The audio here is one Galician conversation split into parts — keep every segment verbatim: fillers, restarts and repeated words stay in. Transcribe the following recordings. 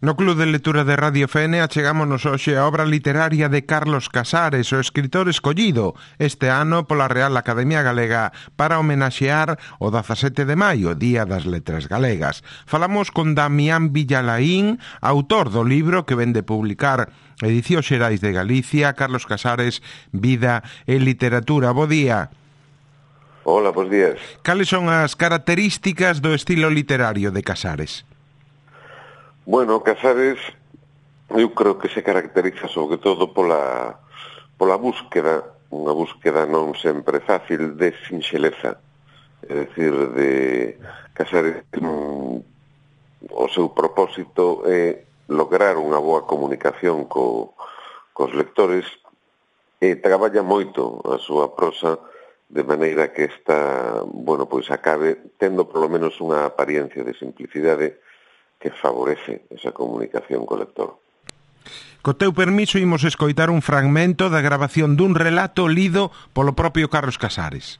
No Club de Lectura de Radio F N achegámonos hoxe a obra literaria de Carlos Casares, o escritor escollido este ano pola Real Academia Galega para homenaxear o dezasete de maio, Día das Letras Galegas. Falamos con Damián Villalaín, autor do libro que vende publicar Edicións Xerais de Galicia, Carlos Casares, Vida e Literatura. Bo día. Hola, bons días. Cales son as características do estilo literario de Casares? Bueno, Casares eu creo que se caracteriza sobre todo pola, pola búsqueda, unha búsqueda non sempre fácil de sinxeleza, é dicir, de Casares um, o seu propósito é lograr unha boa comunicación co, cos lectores e traballa moito a súa prosa de maneira que esta, bueno, pois acabe tendo polo menos unha apariencia de simplicidade que favorece esa comunicación co lector. Co teu permiso, imos escoitar un fragmento da grabación dun relato lido polo propio Carlos Casares.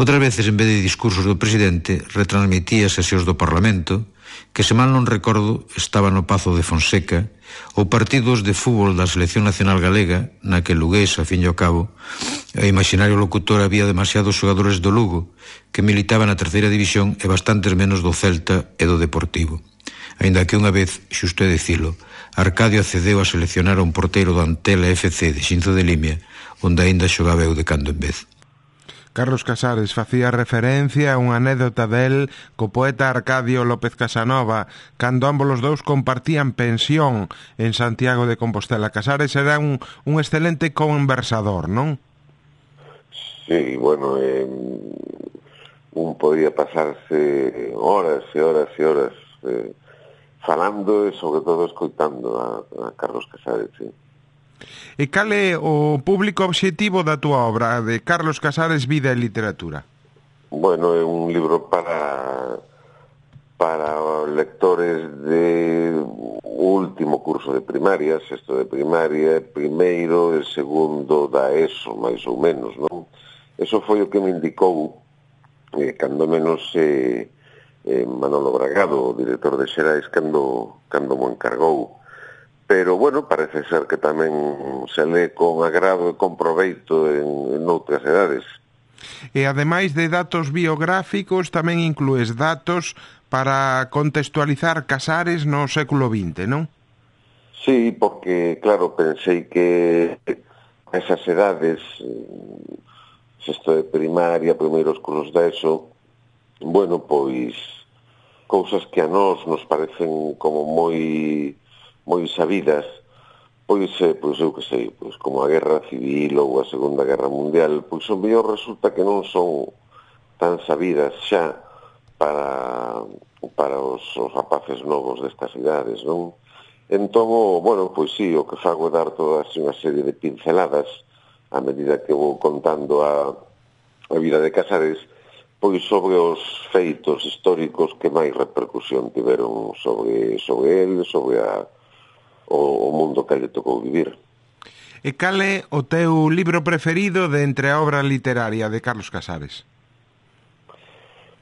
Outras veces, en vez de discursos do presidente, retransmitía sesións do Parlamento, que, se mal non recordo, estaba no Pazo de Fonseca, ou partidos de fútbol da Selección Nacional Galega, na que Lugués, a fin e ao cabo, o imaginario locutor había demasiados xogadores do Lugo, que militaban na terceira división e bastantes menos do Celta e do Deportivo. Aínda que unha vez, xusto é dicilo, Arcadio accedeu a seleccionar a un porteiro do Antela F C de Xinzo de Limia, onde aínda xogaba eu de cando en vez. Carlos Casares facía referencia a unha anécdota del co poeta Arcadio López Casanova, cando ambos os dous compartían pensión en Santiago de Compostela. Casares era un, un excelente conversador, non? Sí, bueno, eh, un podía pasarse horas e horas e horas eh, falando e sobre todo escoitando a, a Carlos Casares, sí. E cal é o público obxectivo da túa obra, de Carlos Casares, Vida e Literatura? Bueno, é un libro para para lectores de último curso de primaria, sexto de primaria, primeiro e segundo da ESO, máis ou menos, non? Eso foi o que me indicou, eh, cando menos eh, eh, Manolo Bragado, o director de Xerais, cando, cando mo encargou. Pero, bueno, parece ser que tamén se lee con agrado e con proveito en, en outras edades. E, ademais de datos biográficos, tamén inclues datos para contextualizar Casares no século vinte, non? Sí, porque, claro, pensei que esas edades, sexto de primaria, primeiros cursos da ESO, bueno, pois, cousas que a nós nos parecen como moi moi sabidas, pois, pois eu que sei, pois como a Guerra Civil ou a Segunda Guerra Mundial, pois o mellor resulta que non son tan sabidas xa para, para os, os rapaces novos destas idades, non? Entón, bueno, pois sí, o que fago é dar toda unha serie de pinceladas a medida que vou contando a, a vida de Casares, pois sobre os feitos históricos que máis repercusión tiveron sobre, sobre ele, sobre a o mundo que lle tocou vivir. E cal é o teu libro preferido de entre a obra literaria de Carlos Casares?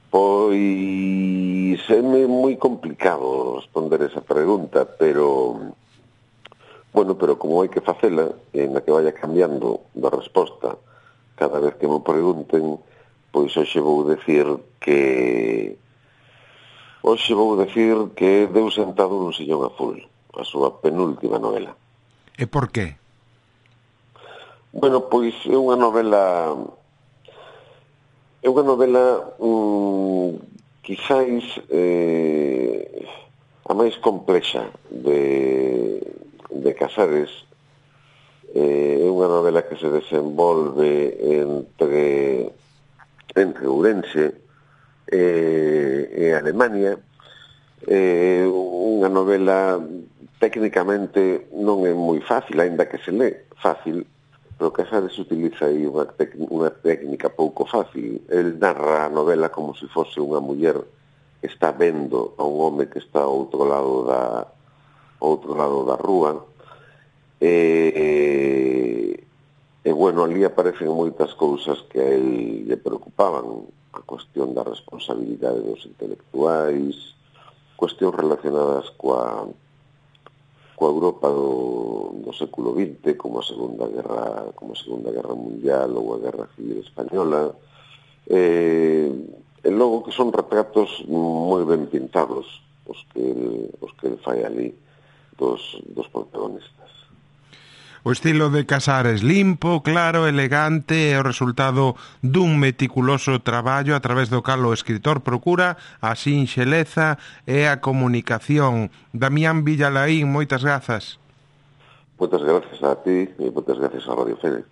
Pois é moi complicado responder esa pregunta, pero bueno, pero como hai que facela en a que vaya cambiando da resposta cada vez que me pregunten, pois hoxe vou decir que hoxe vou decir que Deu sentado nun sillón azul, a súa penúltima novela. E por qué? Bueno, pois é unha novela é unha novela mmm, quizáis eh, a máis complexa de, de Casares. Eh, é unha novela que se desenvolve entre entre Ourense e, e Alemania. É eh, unha novela técnicamente non é moi fácil, aínda que se lee fácil, pero Casares utiliza aí unha, tec, unha técnica pouco fácil. El narra a novela como se fose unha muller que está vendo a un home que está ao outro lado da, ao outro lado da rúa. E, e, e bueno, ali aparecen moitas cousas que a él lle preocupaban, a cuestión da responsabilidade dos intelectuais, cuestións relacionadas coa coa Europa do, do século vinte, como a Segunda Guerra, como a Segunda Guerra Mundial ou a Guerra Civil Española, eh, e logo que son retratos moi ben pintados os que el, os que el fai ali dos, dos protagonistas. O estilo de Casares limpo, claro, elegante é o resultado dun meticuloso traballo a través do cal o escritor procura a sinxeleza e a comunicación. Damián Villalaín, moitas grazas. Moitas grazas a ti e moitas grazas a Radio Fene.